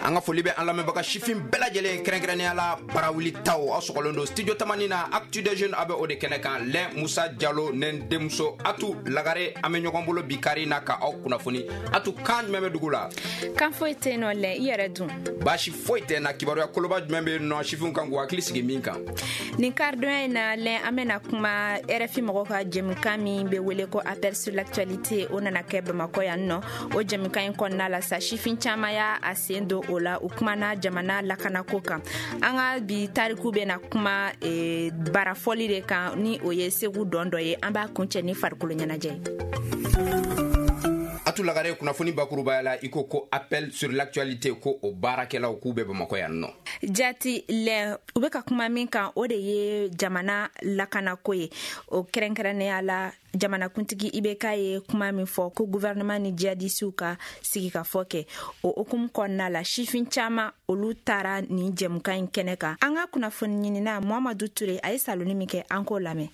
An ka foli bɛ an lamɛnbaga sifin bɛɛ lajɛlen, kɛrɛnkɛrɛnnenya la Barawuli taw. Aw sɔgɔlen don Studio Tamani na, Actu des Jeunes, a bɛ o de kɛnɛ kan. Lɛn Musa Jalo ne n denmuso Atu Lagare, an bɛ ɲɔgɔn bolo bi kari na ka aw kunnafoni. Atu, kan jumɛn bɛ dugu la? Kan foyi tɛ yen nɔ. Lɛn, i yɛrɛ dun? Baasi foyi tɛ na. Kibaruya koloba jumɛn bɛ yen nɔ sifinw kan k'u hakili sigi min kan? Nin karidonya in na, Lɛn, an bɛna kuma RFI mɔgɔw ka jɛmukan min bɛ wele ko Appel sur l'actualité, o nana kɛ Bamakɔ yan nɔ. O jɛmukan in kɔnɔna la sa, sifin caman y'a a sen don o la, u kumana jamana lakanako kan. An ka bi tariku bɛna kuma barafɔli de kan, ni o ye Segu dɔn dɔ ye. An b'a kuncɛ ni farikolo ɲɛnajɛ ye. Atu Lagare, kunnafoni bakurubaya la, i ko ko Appel sur l'actualité, ko o baarakɛlaw k'u bɛ Bamakɔ yan nɔ. Jati Lɛn, u bɛ ka kuma min kan, o de ye jamana lakanako ye. O kɛrɛnkɛrɛnnenya la, jamanakuntigi IBK ye kuma min fɔ ko gouvernement ni jihadisiw ka sigikafɔ kɛ, o hukumu kɔnɔna la, sifin caman olu taara nin jɛmukan in kɛnɛ kan. An ka kunnafoni ɲinina Muhamadu Ture, a ye saloni min kɛ, an k'o lamɛn.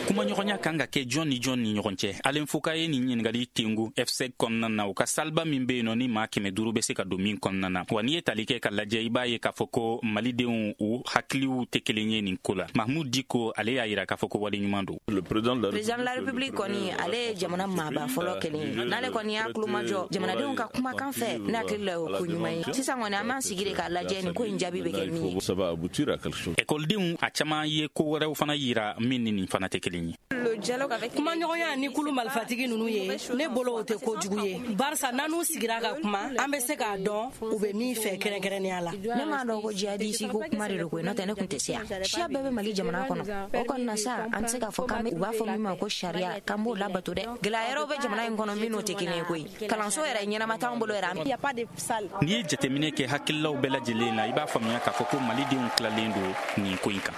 Kumaɲɔgɔnya kan ka kɛ jɔn ni jɔn ni ɲɔgɔn cɛ? Alen Foka ye nin ɲiningali tengu FSEG kɔnɔna na, u ka saliba min be yen nɔ, ni maa 500 bɛ se ka don min kɔnɔna na. Wa n'i ye tali kɛ ka lajɛ, i b'a ye k'a fɔ ko malidenw u hakiliw tɛ kelen ye nin ko la. Mahmud Diko, ale y'a yira k'a fɔ ko wale ɲuman don. Président de la République kɔni, ale ye jamana maaba fɔlɔ kelen ye. N'ale kɔni y'a kulomajɔ jamanadenw ka kumakan fɛ, ne hakili la, o ko ɲuman ye. Sisan kɔni, an b'an sigi de k'a lajɛ nin ko in jaabi bɛ kɛ min ye. Ekɔlidenw a caman ye ko wɛrɛw fana yira min ni nin fana tɛ kelen ye. Kumaɲɔgɔnya ni kulu malifatigi ninnu ye, ne bolo, o tɛ kojugu ye, barisa n'an n'u sigira ka kuma, an bɛ se k'a dɔn u bɛ min fɛ kɛrɛnkɛrɛnnenya la. Ne m'a dɔn ko jihadisi ko kuma de don koyi, n'o tɛ ne tun tɛ se yan. Siya bɛɛ bɛ Mali jamana kɔnɔ. O kɔni na sa, an tɛ se k'a fɔ k'an bɛ u b'a fɔ min ma ko sariya, k'an b'o labato dɛ. Gɛlɛya yɛrɛw bɛ jamana in kɔnɔ minnu tɛ kelen ye koyi. Kalanso yɛrɛ ɲɛnama t'anw bolo yɛrɛ. N'i ye jateminɛ kɛ hakililaw bɛɛ lajɛlen na, i b'a faamuya k'a fɔ ko malidenw tilalen don nin ko in kan.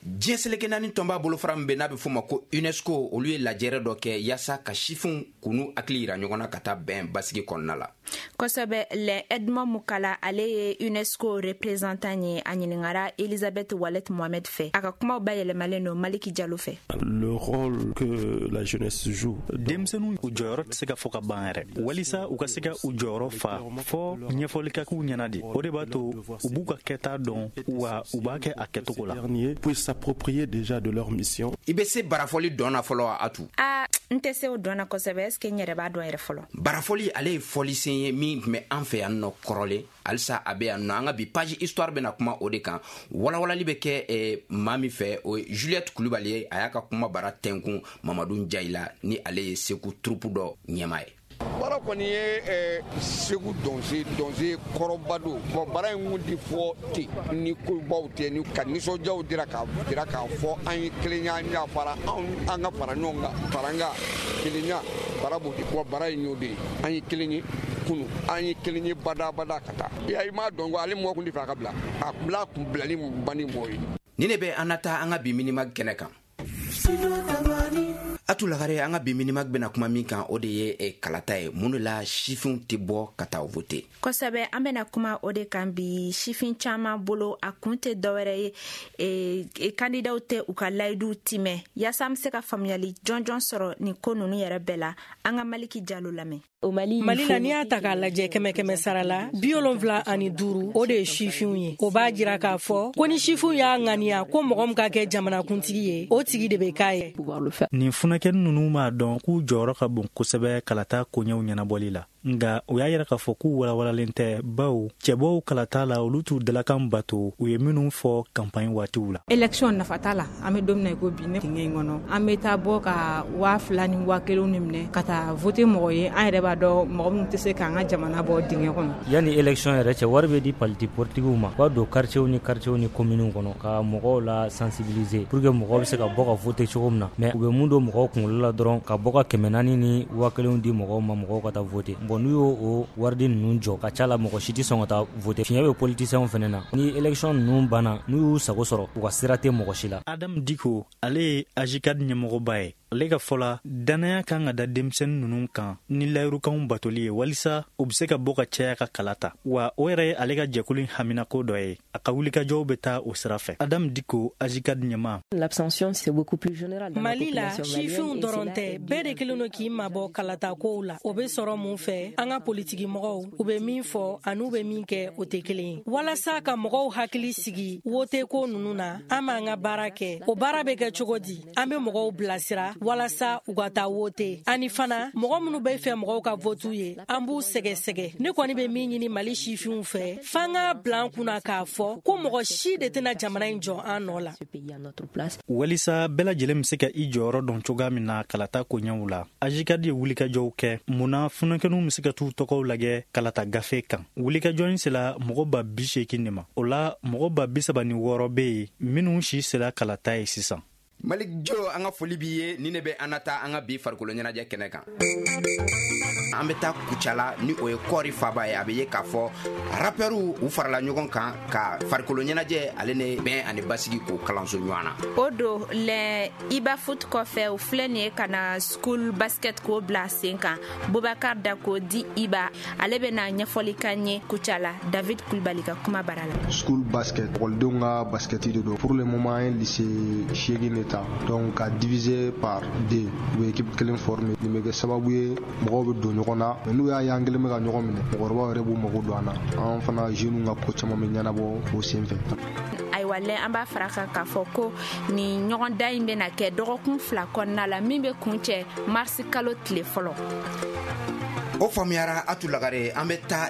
Diɲɛ seleke naani tɔnba bolofara min bɛ n'a bɛ f'o ma ko UNESCO, olu ye lajɛrɛ dɔ kɛ yaasa ka sifinw k'u hakili yira ɲɔgɔn na ka taa bɛn basigi kɔnɔna la. Kosɛbɛ Lɛ. Edmond Mukala, ale ye UNESCO représentant ye. A ɲiningara Elisabeth Walet Mohamed fɛ. A ka kumaw bayɛlɛmalen don Maliki Jalo fɛ. Le rôle que la jeunesse joue. Denmisɛnninw u jɔyɔrɔ tɛ se ka fɔ ka ban yɛrɛ. Walisa u ka se ka u jɔyɔrɔ fa, fɔ ɲɛfɔli ka k'u ɲɛna de. O de b'a to u b'u ka kɛta dɔn, wa u b'a kɛ a kɛcogo la. Puissent s'approprier déjà de leur mission. I bɛ se barafɔli dɔn na fɔlɔ, Atu? A n tɛ se o dɔn na kosɛbɛ. Est ce que n yɛrɛ b'a dɔn yɛrɛ fɔlɔ? Barafɔli, ale ye fɔlisen ye min tun bɛ an fɛ yan nɔ kɔrɔlen, halisa a bɛ yan nɔ. An ka bi page histoire bɛna kuma o de kan. Walawalali bɛ kɛ maa min fɛ, o ye Juliette Kulubali ye. A y'a ka kuma bara tɛnkun Mamadu Jayila, ni ale ye Segu troupe dɔ ɲɛmaa ye. Bara kɔni ye Segu dɔnse dɔnse kɔrɔba don. Bɔn, bara in kun ti fɔ ten ni kobaw tɛ, ni ka nisɔndiyaw dira k'a jira k'a fɔ an ye kelenya, an y'a fara anw, an ka fara ɲɔgɔn kan, faranga kelenya. Bara b'o de wa, bara in y'o de ye. An ye kelen ye kunu, an ye kelen ye badabada ka taa. Ya i m'a dɔn ko ale mɔgɔ kun tɛ fɛ a ka bila, a bila kun bilali ban ni mɔgɔ ye. Ni ne bɛ an na taa an ka bi Minimag kɛnɛ kan. Atu Lagare, an ka bi Minimag bɛna kuma min kan, o de ye kalata ye. Mun de la sifinw tɛ bɔ ka taa vote? Kosɛbɛ, an bɛna kuma o de kan bi. Sifin caman bolo, a kun tɛ dɔwɛrɛ ye, kandidaw tɛ u ka layiduw timɛ. Yaasa an be se ka faamuyali jɔnjɔn sɔrɔ nin ko nunu yɛrɛ bɛɛ la, an ka Maliki Jalo lamɛn. Mali la, n'i y'a ta k'a lajɛ, kɛmɛ kɛmɛ sara la, 75, o de ye sifinw ye. O b'a jira k'a fɔ ko ni sifinw y'a ŋaniya ko mɔgɔ min ka kɛ jamanakuntigi ye, o tigi de bɛ k'a ye. Nin funakɛni ninnu b'a dɔn k'u jɔyɔrɔ ka bon kosɛbɛ kalata koɲɛw ɲɛnabɔli la, nga u y'a yira k'a fɔ k'u walawalalen tɛ, bawo cɛbɔw kalata la, olu t'u dalakan bato u ye minnu fɔ kanpaɲi waatiw la. Élection nafa t'a la. An bɛ don min na i ko bi, ne dingɛ in kɔnɔ, an bɛ taa bɔ ka 2000 ni 1000 ni minɛ ka taa voter mɔgɔ ye, an yɛrɛ b'a dɔn mɔgɔ minnu tɛ se k'an ka jamana bɔ dingɛ kɔnɔ. Yanni élection yɛrɛ cɛ, wari bɛ di parti politigiw ma, u ka don quartier ni quartier ni communes kɔnɔ ka mɔgɔw la sensibiliser pour que mɔgɔw bɛ se ka bɔ ka voter cogo min na. Mais u bɛ mun don mɔgɔw kunkolo la dɔrɔn, ka bɔ ka 400 ni 1000 di mɔgɔw ma, mɔgɔw ka taa voter. Bon. Bon, n'u y'o o waridi ninnu jɔ ka ca la, mɔgɔ si tɛ sɔn ka taa voter. Fiɲɛ bɛ politiciens fɛnɛ na. Ni élection ninnu banna, n'u y'u sago sɔrɔ, u ka sira tɛ mɔgɔ si la. Adam Diko, ale ye AJCAD ɲɛmɔgɔba ye. Ale ka fɔ la, dannaya kan ka da denmisɛnnin ninnu kan ni layirukanw batoli ye, walisa u be se ka bɔ ka caya ka kala ta. Wa o yɛrɛ ye ale ka jɛkulu in haminako dɔ ye. A ka wulikajɔw bɛ taa o sira fɛ. Adam Diko, AJCAD ɲɛma. Mali la, sifinw dɔrɔn tɛ, bɛɛ de kelen don k'i mabɔ kalata kow la. O be sɔrɔ mun fɛ? An ka politiki mɔgɔw, u be min fɔ an'u be min kɛ, o tɛ kelen ye. Walasa ka mɔgɔw hakili sigi wote ko nunu na, an b'an ka baara kɛ. O baara bɛ kɛ cogo di? An be mɔgɔw bilasira walasa u ka taa wote. Ani fana, mɔgɔ minnu bɛ fɛ mɔgɔw ka votu ye, an b'u sɛgɛsɛgɛ. Ne kɔni bɛ min ɲini Mali sifinw fɛ, f'an k'a bila an kunna k'a fɔ ko mɔgɔ si de tɛna jamana in jɔ an nɔ la. Walisa bɛɛ lajɛlen be se ka i jɔyɔrɔ dɔn cogoya min na kalata koɲɛw la, AJCAD ye wulikajɔw kɛ mun na funankɛninw be se ka t'u tɔgɔw lajɛ kalata gafe kan. Wulikajɔ in sela mɔgɔ 80 000 de ma. O la, mɔgɔ 36 000 be yen minw si sela kalata ye sisan. Malik Jo, an ka foli b'i ye. Ni ne bɛ an na taa an ka bi farikolo ɲɛnajɛ kɛnɛ kan. An bɛ taa Kucala, ni o ye kɔɔri faba ye. A bɛ ye k'a fɔ rapɛriw u farala ɲɔgɔn kan ka farikolo ɲɛnajɛ ale ne bɛn ani basigi k'o kalanso ɲɔgɔn na. O don lɛ, Iba Foot kɔfɛ, u filɛ nin ye ka na school basket k'o bila sen kan. Bubakar Dako di Iba, ale bɛna ɲɛfɔli kan ye Kucala, David Kulibali ka kuma bara la. School basket, ekɔlidenw ka basketi de don. Pour le moment, an ye lycée 8 de ta, donc ka diviser par deux, u bɛ équipe kelen former. Nin bɛ kɛ sababu ye mɔgɔw bɛ don ɲɔgɔn na. Mais n'u y'a ye an kelen bɛ ka ɲɔgɔn minɛ, mɔgɔkɔrɔbaw yɛrɛ b'u mago don an na. An fana, jeunes ka ko caman bɛ ɲɛnabɔ o sen fɛ. Ayiwa lɛ, an b'a fara kan k'a fɔ ko nin ɲɔgɔndan in bɛna kɛ dɔgɔkun 2 kɔnɔna la, min bɛ kun cɛ marisi kalo tile fɔlɔ. O faamuyara, Atu Lagare. An bɛ taa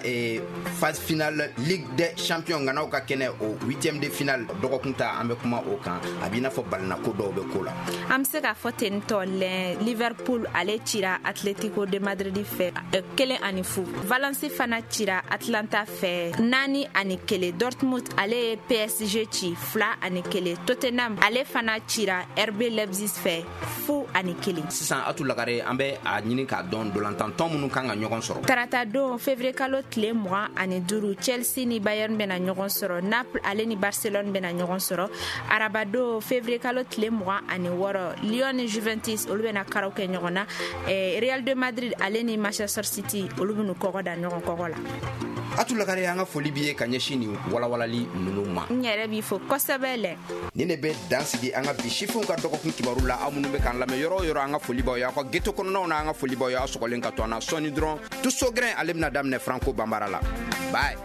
phase finale Ligue des champions ŋanaw ka kɛnɛ, o huitième de finale dɔgɔkun ta, an bɛ kuma o kan. A b'i n'a fɔ balinako dɔw bɛ ko la. An bɛ se k'a fɔ ten tɔ lɛ, Liverpool ale cira Atletico de Madrid fɛ 1-0. Valence fana cira Atlanta fɛ 4-1. Dortmund ale ye PSG ci 2-1. Tottenham ale fana cira RB Leipzig fɛ 0-1. Sisan, Atu Lagare, an bɛ a ɲini k'a dɔn dolantantɔn minnu kan ka ɲɔgɔn sɔrɔ. Tarata don, février kalo tile 25, Chelsea ni Bayern bɛna ɲɔgɔn sɔrɔ. Naples ale ni Barcelone bɛna ɲɔgɔn sɔrɔ. Arabadon, février kalo tile 26, Lyon ni Juventus olu bɛna karaw kɛ ɲɔgɔn na. Real de Madrid ale ni Manchester City olu bɛn'u kɔgɔ da ɲɔgɔn kɔgɔ la. Atu Lagare, an ka foli b'i ye ka ɲɛsin nin walawalali ninnu ma. N yɛrɛ b'i fo kosɛbɛ lɛ. Ni ne bɛ dan sigi an ka bi sifinw ka dɔgɔkun kibaru la. Aw minnu bɛ k'an lamɛn yɔrɔ o yɔrɔ, an ka foli b'aw ye. Aw ka geto kɔnɔnaw na, an ka foli b'aw ye. Aw sɔgɔlen ka to an na. Sɔɔni dɔrɔn, Tuso Gɛrɛn ale bɛna daminɛ Franco Banbara la. Bye.